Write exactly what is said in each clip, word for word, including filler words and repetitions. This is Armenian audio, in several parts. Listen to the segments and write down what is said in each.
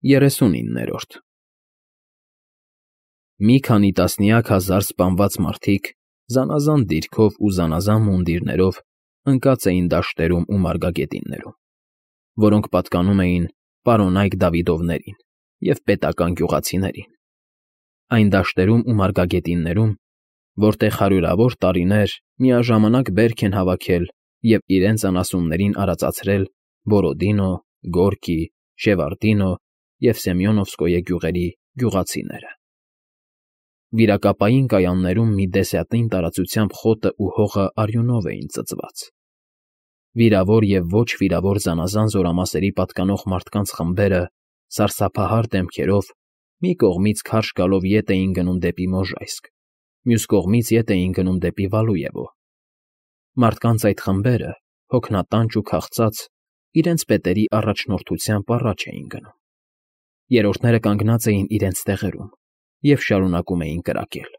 Երեսունիններորդ Մի քանի տասնյակ հազար սպանված մարդիկ զանազան դիրքով ու զանազան մունդիրներով ընկած էին դաշտերում ու մարգագետիններում, որոնք պատկանում էին պարոնայք Դավիդովներին և պետական գյուղացիներին, այն դաշտերում ու մարգագետիններում, որտեղ հարյուրավոր տարիներ միաժամանակ բերք են հավաքել և իրենց անասուններին արածացրել Բորոդինո, Գորկի, Շևարդինո և Սեմյոնովսկոյե գյուղերի գյուղացիները։ Վիրակապային կայաններում մի դեսյատին տարածությամբ խոտն ու հողը արյունով էին ծծված։ Վիրավոր և ոչ վիրավոր զանազան զորամասերի պատկանող մարդկանց խմբերը սարսափահար դեմքերով մի կողմից քարշ գալով ետ էին գնում դեպի Մոժայսկ, մյուս կողմից ետ էին գնում դեպի Վալուևո։ Մարդկանց այդ խմբերը, հոգնատանչ ու քաղցած, իրենց պետերի առաջնորդությամբ առաջ էին գնում։ Երրորդները կանգնած էին իրենց տեղերում և շարունակում էին կրակել։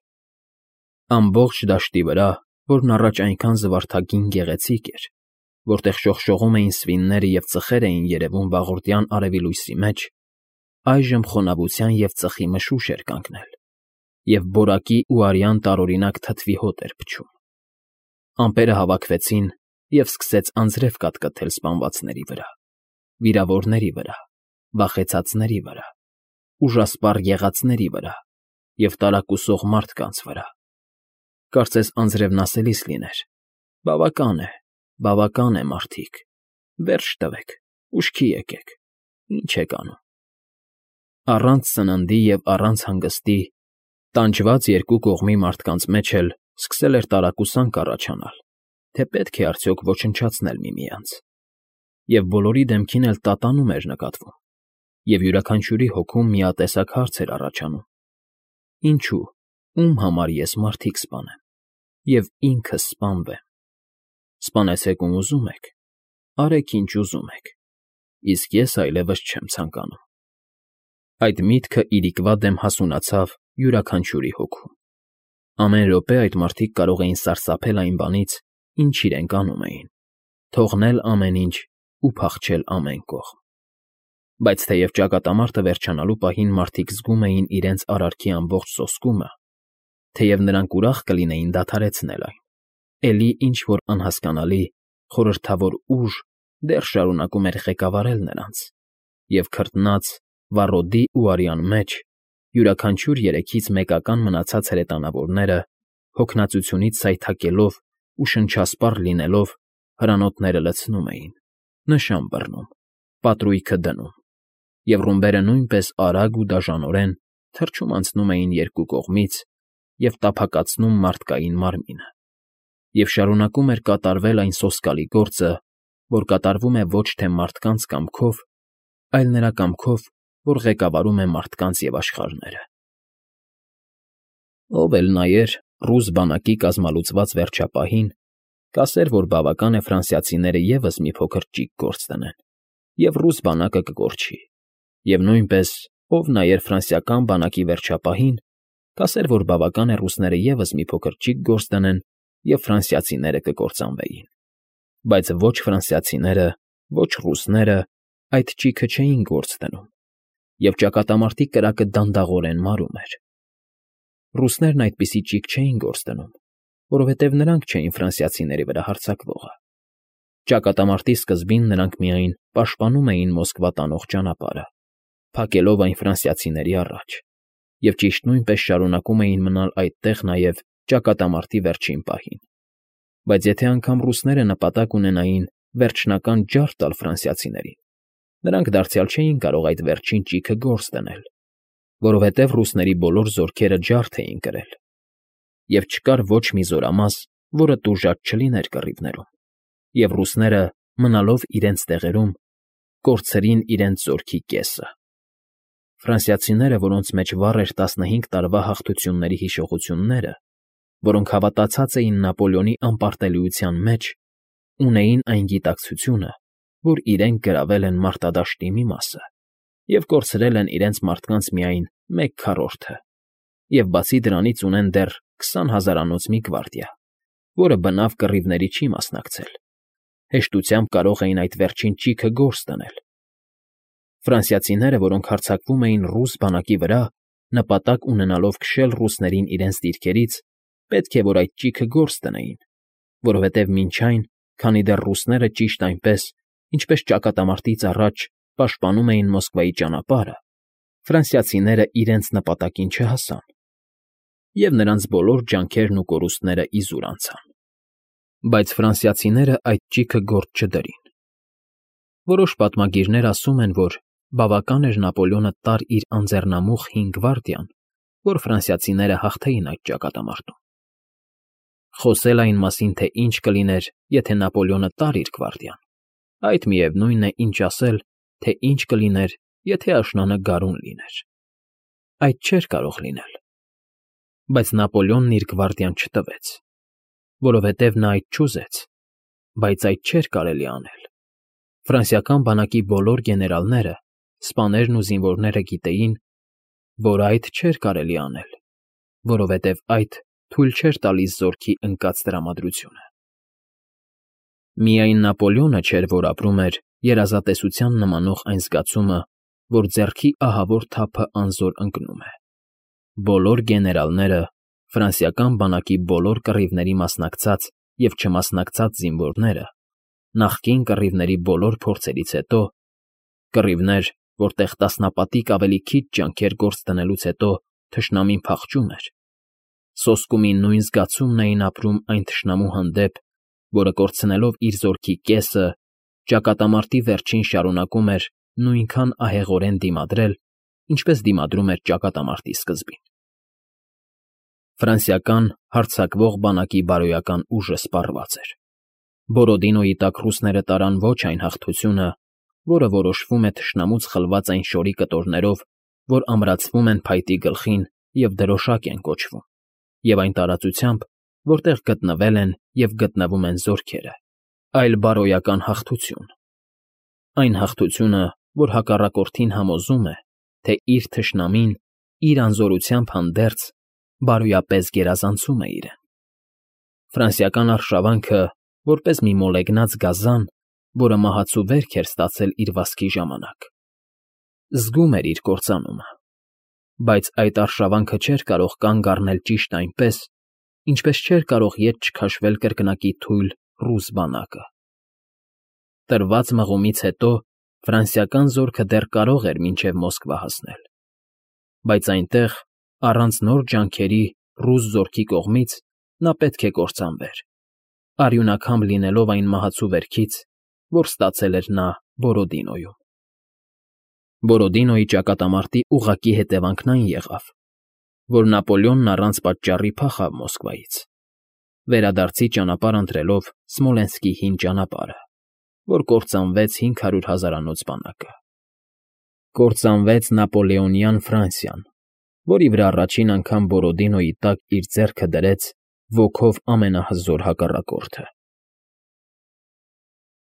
Ամբողջ դաշտի վրա, որն առաջ այնքան զվարթագին գեղեցիկ էր, որտեղ շողշողում էին սվինները և ծխեր էին երևում վաղորդյան արևի լույսի մեջ, այժմ խոնավության և ծխի մշուշ էր կանգնել, և որակի ու արյան տարօրինակ թթվի հոտ էր փչում։ Ամպերը հավաքվեցին և սկսեց անձրև կատկթել սպանվածների վրա, վիրավորների վրա, վախեցածների վրա, ուժասպառ եղածների վրա և տարակուսող մարդկանց վրա։ Կարծես անձրևն ասելիս լիներ. «Բավական է, բավական է, մարդիկ, վերջ տվեք, ուշքի եկեք, ի՞նչ եք անում»։ Առանց սննդի և առանց հանգստի, տանջված երկու կողմի մարդկանց մեջ էլ սկսել էր տարակուսանք առաջանալ, թե պետք է արդյոք ոչնչացնել միմյանց, և բոլորի դեմքին էլ տատանում էր նկատվում, և յուրաքանչյուրի հոգում միատեսակ հարց էր առաջանում. «Ինչո՞ւ, ում համար ես մարդիկ սպանեմ և ինքս սպանվեմ։ Սպանեցեք, ում ուզում եք, արեք, ինչ ուզում եք, իսկ ես այլևս չեմ ցանկանում»։ Այդ միտքը իրիկվա դեմ հասունացավ յուրաքանչյուրի հոգում։ Ամեն րոպե այդ մարդիկ կարող էին սարսափել այն բանից, ինչ իրենք անում էին, թողնել ամեն ինչ ու փախչել ամեն կողմ։ Բայց թեև ճակատամարտը վերջանալու պահին մարդիկ զգում էին իրենց արարքի ամբողջ սոսկումը, թեև նրանք ուրախ կլինեին դադարեցնել այն, էլի ինչ֊որ անհասկանալի, խորհրդավոր ուժ դեռ շարունակում էր ղեկավարել նրանց, և քրտնած, վառոդի ու արյան մեջ յուրաքանչյուր երեքից մեկական մնացած հրետանավորները, հոգնածությունից սայթաքելով ու շնչասպառ լինելով, հրանոթները լցնում էին, նշան բռնում, պատրույգը դնում, և ռումբերը նույնպես արագ ու դաժանորեն թռչում անցնում էին երկու կողմից և տափակացնում մարդկային մարմինը, և շարունակում էր կատարվել այն սոսկալի գործը, որ կատարվում է ոչ թե մարդկանց կամքով, այլ նրա կամքով, որ ղեկավարում է մարդկանց և աշխարհները։ Ով էլ նայեր ռուս բանակի կազմալուծված վերջապահին, կասեր, որ բավական է ֆրանսիացիները ևս մի փոքր ճիգ գործ դնեն, և ռուս բանակը կկորչի, և նույնպես, ով նայեր ֆրանսիական բանակի վերջապահին, կասեր, որ բավական է ռուսները ևս մի փոքր ճիգ գործ դնեն, և ֆրանսիացիները կկործանվեին։ Բայց ոչ ֆրանսիացիները, ոչ ռուսները այդ ճիգը չէին գործ դնում, և ճակատամարտի կրակը դանդաղորեն մարում էր։ Ռուսներն այդպիսի ճիգ չէին գործ դնում, որովհետև նրանք չէին ֆրանսիացիների վրա հարձակվողը։ Ճակատամարտի սկզբին նրանք միայն պաշտպանում էին Մոսկվա տանող ճանապարհը, փակելով այն ֆրանսիացիների առաջ, և ճիշտ նույնպես շարունակում էին մնալ այդտեղ նաև ճակատամարտի վերջին պահին։ Բայց եթե անգամ ռուսները նպատակ ունենային վերջնական ջարդ տալ ֆրանսիացիներին, նրանք դարձյալ չէին կարող այդ վերջին ճիգը գործ դնել, որովհետև ռուսների բոլոր զորքերը ջարդ էին կրել, և չկար ոչ մի զորամաս, որը տուժած չլիներ կռիվներում, և ռուսները, մնալով իրենց տեղերում, կորցրին իրենց զորքի կեսը։ Ֆրանսիացիները, որոնց մեջ վառ էր տասնհինգ տարվա հաղթությունների հիշողությունները, որոնք հավատացած էին Նապոլեոնի անպարտելիության մեջ, ունեին այն գիտակցությունը, որ իրենք գրավել են մարտադաշտի մի մասը և կորցրել են իրենց մարդկանց միայն մեկ քառորդը, և բացի դրանից ունեն դեռ քսան հազարանոց մի գվարդիա, որը բնավ կռիվների չի մասնակցել, հեշտությամբ կարող էին այդ վերջին ճիգը գործ դնել։ Ֆրանսիացիները, որոնք հարձակվում էին ռուս բանակի վրա, նպատակ ունենալով քշել ռուսներին իրենց դիրքերից, պետք է որ այդ ճիգը գործ դնեին, որովհետև մինչ այն, քանի դեռ ռուսները ճիշտ այնպես, ինչպես ճակատամարտից առաջ պաշտպանում էին Մոսկվայի ճանապարհը, ֆրանսիացիները իրենց նպատակին չհասան, և նրանց բոլոր ջանքերն ու կորուստները իզուր անցան։ Բայց ֆրանսիացիները այդ ճիգը գործ չդրին։ Որոշ պատմագիրներ ասում են, որ բավական էր Նապոլեոնը տար իր անձեռնամուխ հին գվարդիան, որ ֆրանսիացիները հաղթեին այդ ճակատամարտում։ Խոսել այն մասին, թե ինչ կլիներ, եթե Նապոլեոնը տար իր գվարդիան, այդ միևնույնն է, ինչ ասել, թե ինչ կլիներ, եթե աշնանը գարուն լիներ։ Այդ չէր կարող լինել։ Բայց Նապոլեոնն իր գվարդիան չտվեց, որովհետև նա այդ չուզեց, բայց այդ չէր կարելի անել։ Ֆրանսիական բանակի բոլոր գեներալները, սպաներն ու զինվորները գիտեին, որ այդ չէր կարելի անել, որովհետև այդ թույլ չէր տալիս զորքի ընկած տրամադրությունը։ Միայն Նապոլեոնը չէր, որ ապրում էր երազատեսության նմանող այն զգացումը, որ ձեռքի ահավոր թափը անզոր ընկնում է։ Բոլոր գեներալները, ֆրանսիական բանակի բոլոր կռիվների մասնակցած և չմասնակցած զինվորները, նախկին կռիվների բոլոր փորձերից հետո, կռիվներ, որտեղ տասնապատիկ ավելի քիչ ջանքեր գործ դնելուց հետո թշնամին փախչում էր, սոսկումի նույն զգացումն էին ապրում այն թշնամու հանդեպ, որը կորցնելով իր զորքի կեսը, ճակատամարտի վերջին շարունակում էր նույնքան ահեղորեն դիմադրել, ինչպես դիմադրում էր ճակատամարտի սկզբին։ Ֆրանսիական հարձակվող բանակի բարոյական ուժը սպառված էր։ Բորոդինոյի տակ ռուսները տարան ոչ այն հաղթությունը, որը որոշվում է թշնամուց խլված այն շորի կտորներով, որ ամրացվում են փայտի գլխին և դրոշակ են կոչվում, և այն տարածությամբ, որտեղ գտնվել են և գտնվում են զորքերը, այլ բարոյական հաղթություն։ Այն հաղթությունը, որ հակառակորդին համոզում է, թե իր թշնամին իր անզորությամբ հանդերձ բարոյապես գերազանցում է իրեն։ Ֆրանսիական արշավանքը, որպես մի մոլեգնած գազան, որը մահացու վերք էր ստացել իր վազքի ժամանակ, զգում էր իր կործանումը, բայց այդ արշավանքը չէր կարող կանգ առնել ճիշտ այնպես, ինչպես չէր կարող ետ չքաշվել կրկնակի թույլ ռուս բանակը։ Տրված մղումից հետո ֆրանսիական զորքը դեռ կարող էր մինչև Մոսկվա հասնել, բայց այնտեղ, առանց նոր ջանքերի ռուս զորքի կողմից, նա պետք է կործանվեր, արյունակամբ լինելով այն մահացու վերքից, որ ստացել էր նա Բորոդինոյում։ Բորոդինոյի ճակատամարտի ուղղակի հետևանքն այն եղավ, որ Նապոլեոնն առանց պատճառի փախավ Մոսկվայից, վերադարձի ճանապարհ ընտրելով Սմոլենսկի հին ճանապարհը, որ կործանվեց հինգ հարյուր հազարանոց բանակը։ Կործանվեց Նապոլեոնյան Ֆրանսիան, որի վրա առաջին անգամ Բորոդինոյի տակ իր ձեռքը դրեց ոգով ամենահզոր հակառակորդը։